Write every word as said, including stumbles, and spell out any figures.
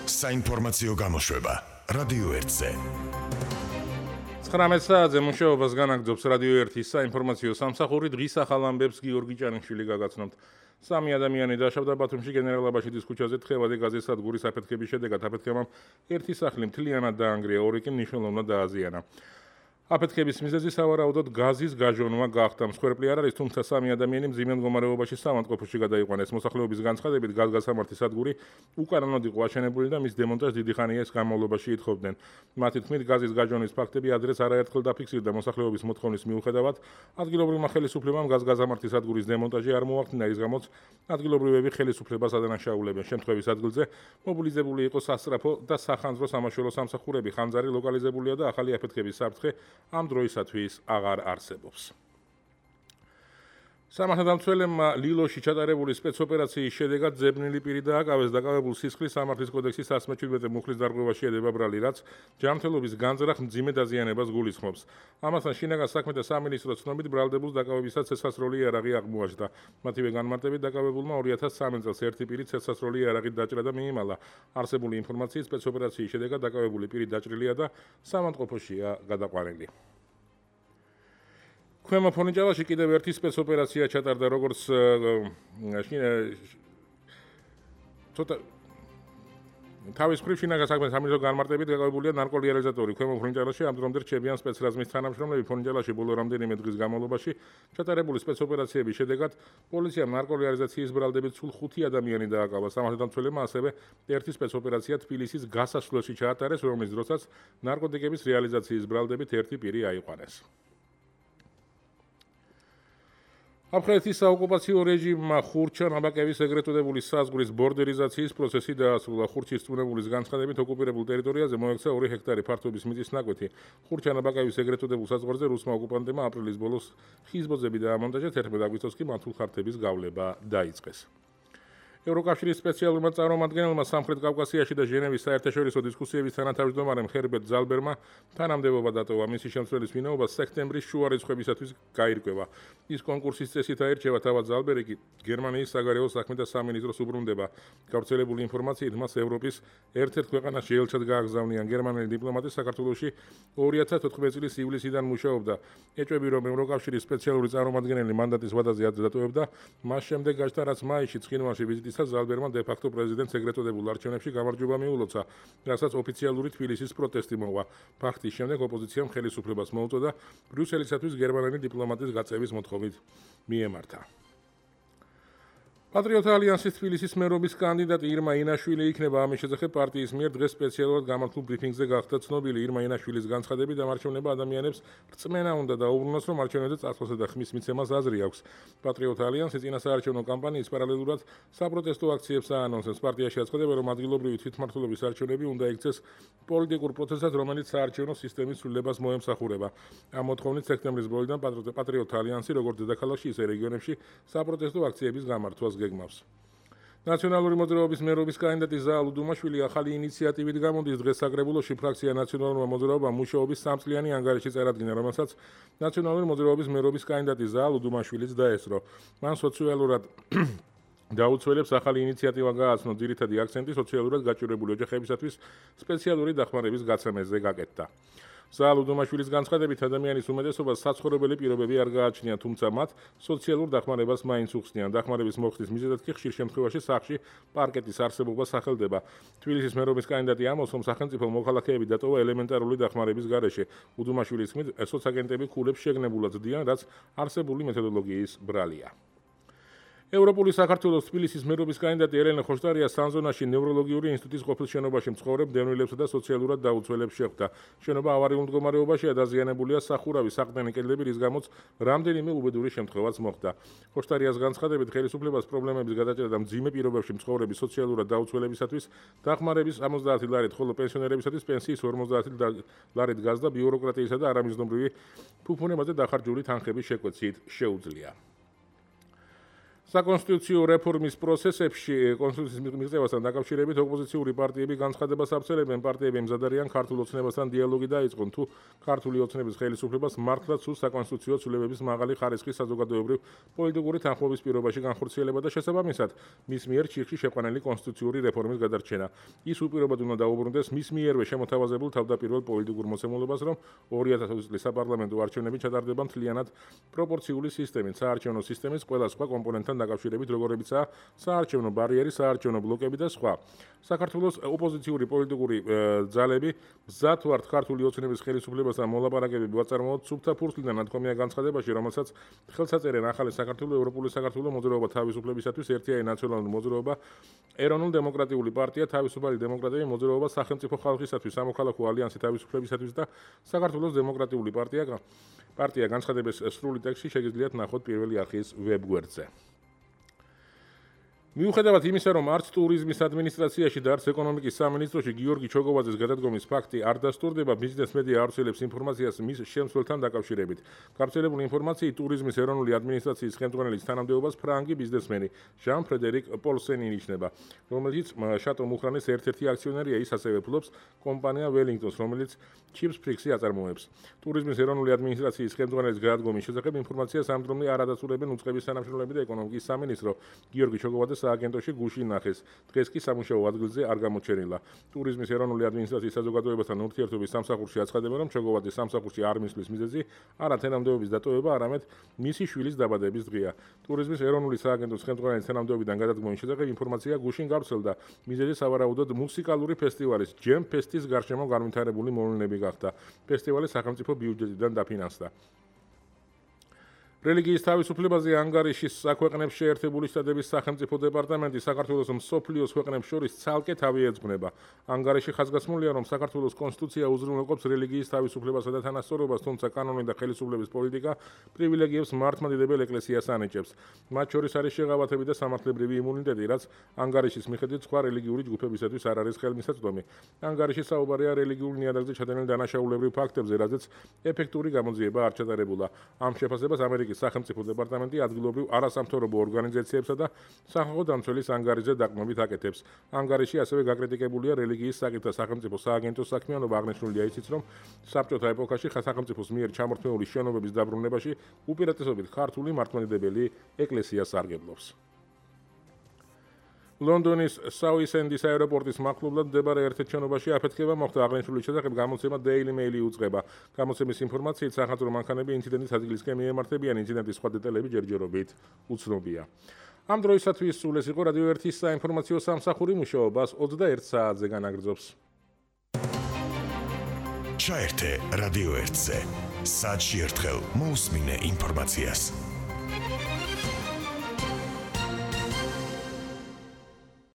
საინფორმაციო გამოშვება რადიო ერთზე. ცხრამეტ საათზე მუშაობას განაგრძობს რადიო ერთის საინფორმაციო სამსახური. დღის ახალ ამბებს გიორგი ჭანიშვილი გაგაცნობთ. სამი ადამიანი დაშავდა ბათუმში გენერალ-აბაშიძის ქუჩაზე თხევადი გაზის სადგურის აფეთქების შედეგად. აფეთქებამ ერთი სახლი მთლიანად დაანგრია, ორი კი მნიშვნელოვნად დააზიანა. აფეთქების მიზეზი სავარაუდოდ გაზის გაჟონვა გახდა. მსხვერპლი არ არის, თუმცა სამი ადამიანი მძიმე მდგომარეობაში საავადმყოფოში გადაიყვანეს. მოსახლეობის განცხადებით, გაზგასამართი სადგური უკანონოდ იყო აშენებული და მის დემონტაჟს დიდი ხანია განმავლობაში ითხოვდნენ. მათი თქმით, გაზის გაჟონვის ფაქტები ადრეს არაერთხელ დაფიქსირდა. მოსახლეობის მოთხოვნის მიუხედავად, ადგილობრივმა ხელისუფლებამ გაზგასამართი სადგურის დემონტაჟი არ მოახდინა, რის გამოც ადგილობრივები ხელისუფლებას ადანაშაულებენ. შემთხვევის ადგილზე მობილიზებული იყო სასწრაფო და სახანძრო სამაშველო სამსახურები. ხანძარი ლოკალიზებულია და ახალი აფეთქების საფრთხე ამ დროისათვის აღარ არსებობს. სამართალდამცველებმა ლილოში ჩატარებული სპეცოპერაციის შედეგად ძებნილი პირი დააკავეს. დაკავებულ სისხლის სამართლის კოდექსის one seventeen მუხლის დარღვევაში ედება ბრალი, რაც ჯანმრთელობის განზრახ მძიმე დაზიანებას გულისხმობს. ამასთან შინაგან საქმეთა სამინისტროს ცნობით ბრალდებულს დაკავებისას ცეცხლსასროლი იარაღი აღმოაჩნდა. მათივე განმარტებით დაკავებულმა two thousand three წელს ერთი პირი ცეცხლსასროლი იარაღით დაჭრა და მიიმალა. არსებული ინფორმაციით სპეცოპერაციის შედეგად დაკავებული პირი დაჭრილია და საავადმყოფოშია გადაყვანილი. ქვემო ფონიჭალაში კიდევ ერთი სპეცოპერაცია ჩატარდა, როგორც ცოტა თავის მხრივ შინაგან საქმეთა სამინისტროს განმარტებით დაკავებულია ნარკოლიარიზატორი. ქვემო ფონიჭალაში ამ დრომდე რჩებიან სპეცრაზმის თანამშრომლები. ფონიჭალაში ბოლო რამდენიმე დღის განმავლობაში ჩატარებული სპეცოპერაციების შედეგად პოლიციამ ნარკოლიარიზაციის ბრალდებით სულ ხუთი ადამიანი დააკავა. სამართალდამცველებმა ასევე ერთი სპეცოპერაცია თბილისის გასასვლელში ჩაატარეს, რომლის დროსაც ნარკოტიკების რეალიზაციის ბრალდებით ერთი პირი აიყვანეს. აფხაზეთის საოკუპაციო რეჟიმმა ხურჩა-ნაბაკევის ეგრეთ წოდებული საზღვრის ბორდერიზაციის პროცესი დაასრულა. ხურჩის წვნებულის განცხადებით, ოკუპირებულ ტერიტორიაზე მოექცა ორი ჰექტარი ფართობის მიწის ნაკვეთი. ხურჩა-ნაბაკევის ეგრეთ წოდებულ საზღვარზე რუსმა ოკუპანტებმა აპრილის ბოლოს ხიზბოძები დაამონტაჟეს, თერთმეტ აგვისტოში კი მართულ ხარჯების გავლება დაიწყეს. ევროკავშირის სპეციალურმა წარმომადგენელმა სამხრეთ კავკასიაში და ჟენევის საერთაშორისო დისკუსიების თანათავმჯდომარემ ჰერბერტ ზალბერმა თანამდებობა დატოვა. მისი შემცვლელის ვინაობა სექტემბრის შუა რიცხვებისათვის გაირკვევა. ის კონკურსის წესით აირჩევა, თავად ზალბერი კი გერმანიის საგარეო საქმეთა სამინისტროს უბრუნდება. გავრცელებული ინფორმაციით, მას ევროპის ერთ-ერთ ქვეყანაში ელჩად გააგზავნიან. გერმანელი დიპლომატი საქართველოში two thousand fourteen წლის ივლისიდან მუშაობდა. ეჭვები, რომ ევროკავშირის სპეციალური წარმომადგენელი მანდატის ვადაზე დატოვებდა, მას შემდეგ გაჩნდა, რაც მაისში ცხინვალში ვიზიტის ზალბერმა დე-ფაქტო პრეზიდენტს ეგრეთ წოდებულ არჩევნებში გამარჯვება მიულოცა, რასაც ოფიციალური თბილისის პროტესტი მოყვა. ფაქტის შემდეგ ოპოზიციამ ხელისუფლებას მოუწოდა ბრიუსელისათვის გერმანელი დიპლომატის გაწევის მოთხოვით მიემართა. პატრიოტთა ალიანსის თბილისის მერობის კანდიდატი ირმა ინაშვილი იქნება. ამის შესახებ პარტიის მიერ დღეს სპეციალურად გამართულ ბრიფინგზე გახდა ცნობილი. ირმა ინაშვილის განცხადებით, ამარჩევნება ადამიანებს რწმენა უნდა დაუბრუნოს, რომ არჩევნებზე წასვლასა და ხმის მიცემას აზრი აქვს. პატრიოტთა ალიანსი წინასაარჩევნო კამპანიის პარალელურად საპროტესტო აქციებს აანონსებს. პარტიაში აცხადება, რომ ადგილობრივი თვითმმართველობის არჩევნები უნდა იქცეს პოლიტიკურ პროცესად, რომელიც საარჩევნო სისტემის ცვლილებას მოემსახურება. ამ მოთხოვნით სექტემბრის ბოლოდან პატრიოტთა ალიანსი როგორც დედაქალაქში, ისე რეგიონებში საპროტესტო აქციების გამართვას გეგმავს. ნაციონალური მოძრაობის მერობის კანდიდატი ზაალ უდუმაშვილი ახალი ინიციატივით გამოდის. დღეს საკრებულოში ფრაქცია ნაციონალურმა მოძრაობამ მუშაობის სამწლიანი ანგარიში წარადგინა, რომელსაც ნაციონალური მოძრაობის მერობის კანდიდატი ზაალ უდუმაშვილიც დაესწრო. მან სოციალურად დაუცველებს ახალი ინიციატივა გააცნო. ძირითადი აქცენტი სოციალურად გაჭირვებული ოჯახებისათვის სპეციალური დახმარების გაცემაზე გაკეთდა. ზაალ უდუმაშვილის განცხადებით, ადამიანის უმეტესობას საცხოვრებელი პირობები არ გააჩნია, თუმცა მათ სოციალურ დახმარებას მაინც უხსნიან. დახმარების მოხდის მიზეზად კი ხშირ შემთხვევაში სახლში პარკეტის არსებობა სახელდება. თბილისის მერობის კანდიდატი ამბობს, რომ სახელმწიფო მოქალაქეები დატოვა ელემენტარული დახმარების გარეშე. უდუმაშვილის თქმით, სოცაგენტები ქულებს შეგნებულად ძდიან, რაც არსებული მეთოდოლოგიის ბრალია. ევროპული საქართველოს თბილისის მერობის კანდიდატი ელენა ხოშტარია სანზონაში ნევროლოგიური ინსტიტუტის ყოფილ შენობაში მცხოვრებ დევნილებსა და სოციალურად დაუცველებს შეხვდა. შენობა ავარიულ მდგომარეობაშია, დაზიანებულია სახურავი, საყრდენი კედლები, რის გამოც რამდენიმე უბედური შემთხვევაც მოხდა. ხოშტარიას განცხადებით, ხელისუფლებას პრობლემების გადაჭრა და მძიმე პირობებში მცხოვრების სოციალურად დაუცველებისათვის დახმარების ოცდაათი ლარით, ხოლო პენსიონერებისათვის პენსიის ორმოცდაათი ლარით გაზდა ბიუროკრატიისა და არამიზნობრივი ფუფუნებაზე დახარჯული თანხების შეკვეცით შეუძლია. საკონსტიტუციო რეფორმის პროცესებში კონსტიტუციის მიღწევასთან დაკავშირებით ოპოზიციური პარტიები განცხადებას ავრცელებენ. პარტიები მზად არიან ქართულ ოცნებასთან დიალოგი დაიწყონ, თუ ქართული ოცნების ხელისუფლებას მართლაც სურს საკონსტიტუციო ცვლილებების მაღალი ხარისხის საზოგადოებრივ პოლიტიკური თანხმობის პირობაში განხორციელება და შესაბამისად მის მიერ ჩიხში შეყვანილი კონსტიტუციური რეფორმის გადარჩენა. ის უპირობოდ უნდა დაუბრუნდეს მის მიერვე შემოთავაზებულ თავდაპირველ პოლიტიკურ მოცემულობას, რომ ორი ათას ოცი წლის საპარლამენტო არჩევნები ჩატარდება მთლიანად პროპორციული სისტემით, საარჩევნო სისტემის ყველა სხვა კომპონენტთან დაკავშირებით, როგორებიცაა საარჩევნო ბარიერი, საარჩევნო ბლოკები და სხვა. საქართველოს ოპოზიციური პოლიტიკური ძალები მზად ვართ ქართული ოცნების ხელისუფლებასთან მოლაპარაკებები ვაწარმოოთ სუფთა ფურცლიდან ნათქვამია განცხადებაში, რომელსაც ხელს აწერენ ახალი საქართველო, ევროპული საქართველო, მოძრაობა თავისუფლებისათვის, ერთიანი ნაციონალური მოძრაობა, ეროვნულ-დემოკრატიული პარტია, თავისუფალი დემოკრატები, მოძრაობა სახელმწიფო ხალხისათვის, სამოქალაქო ალიანსი თავისუფლებისათვის და საქართველოს დემოკრატიული პარტია. პარტია განცხადების სრული ტექსტი შეგიძლიათ ნახოთ პირველი არხის ვებგვერდზე. მიუხედავად იმისა, რომ არც ტურიზმის ადმინისტრაციაში და არც ეკონომიკის სამინისტროში გიორგი ჩოგოვაძის გადადგომის ფაქტი არ დასტურდება, ბიზნეს მედია ავრცელებს ინფორმაციას მის შემცველთან დაკავშირებით. გავრცელებული ინფორმაციით ტურიზმის ეროვნული ადმინისტრაციის ხელმძღვანელის თანამდებობას ფრანგი ბიზნესმენი ჟან ფრედერიკ პოლსენი ინიშნება, რომელიც შატო მუხრანის ერთ-ერთი აქციონერია. ის ასევე ფლობს კომპანია Wellingtons, რომელიც Chips Prix-ი აწარმოებს. ტურიზმის ეროვნული ადმინისტრაციის ხელმძღვანელის გადადგომის შესახებ ინფორმაციას ამ დრომდე არ ადასტურებენ უწყების თანამშრომლები და ეკონომიკის სამინისტრო. გიორგი ჩოგოვაძე სააგენტოში გუშინ ნახეს. დღეს კი სამუშაო ადგილზე არ გამოჩენილა. ტურიზმის ეროვნული ადმინისტრაციის საზოგადოებასთან ურთიერთობის სამსახურში აცხადებენ, რომ ჩოგოვაძის სამსახურში არ მისვლის მიზეზი არა თანამდებობის დატოვება, არამედ მისი შვილის დაბადების დღეა. ტურიზმის ეროვნული სააგენტოს ხელმძღვანელის თანამდებობიდან გადადგომის შესახებ ინფორმაცია გუშინ გავრცელდა. მიზეზი სავარაუდოდ მუსიკალური ფესტივალის ჯემ ფესტის გარშემო განვითარებული მოვლენები გახდა. ფესტივალი სახელმწიფო ბიუჯეტიდან დაფინანსდა. რელიგიის თავისუფლებაზე ანგარიშის საქვეყნებს შეერთებული შტატების სახელმწიფო დეპარტამენტი საქართველოს მსოფლიოს ქვეყნებს შორის ცალკე თავი ეძღვნება. ანგარიში ხაზგასმულია, რომ საქართველოს კონსტიტუცია უზრუნველყოფს რელიგიის თავისუფლებასა და თანასწორობას, თუმცა კანონი და ხელისუფლების პოლიტიკა პრივილეგიებს მართლმადიდებელ ეკლესიას ანიჭებს. მათ შორის არის შეღავათები და სამართლებრივი იმუნიტეტი, რაც ანგარიშის მიხედვით სხვა რელიგიური ჯგუფებისათვის არ არის ხელმისაწვდომი. ანგარიში საუბარია რელიგიურ ნიადაგზე ჩადენილ დანაშაულებრივ ფაქტებზე, რაზეც ეფექტური გამოძიება არ ჩატარებულა. ამ შეფასებას ამერიკის სახელმწიფო დეპარტამენტი ადგილობრივ არასამთავრობო ორგანიზაციებსა და სახალხო დამცველის ანგარიშზე დაყრდნობით აკეთებს. ანგარიში ასევე გაკრიტიკებულია რელიგიის საკითხთა სახელმწიფო სააგენტოს საქმიანობა. აღნიშნულია ისიც, რომ საბჭოთა ეპოქაში სახელმწიფოს მიერ ჩამორთმეული შენობების დაბრუნებაში უპირატესობით ქართული მართლმადიდებელი ეკლესია სარგებლობს. ლონდონის საუისენდის აეროპორტის მახლობლად მდებარე ერთ-ერთ შენობაში აფეთქება მოხდა. აღნიშნული შესახებ გამოცემა Daily Mail-ი უძღვება. გამოცემის ინფორმაციით სახანძრო მანქანები ინციდენტის ადგილისკენ მიემართებიან. ინციდენტის სხვა დეტალები ჯერჯერობით უცნობია. ამ დროისათვის სულ ეს იყო რადიო ერთის საინფორმაციო სამსახური, მუშაობას ოცდაერთ საათზე განაგრძობს. ჩაერთე რადიო ერთზე. საათში ერთხელ მოусმინე ინფორმაციას.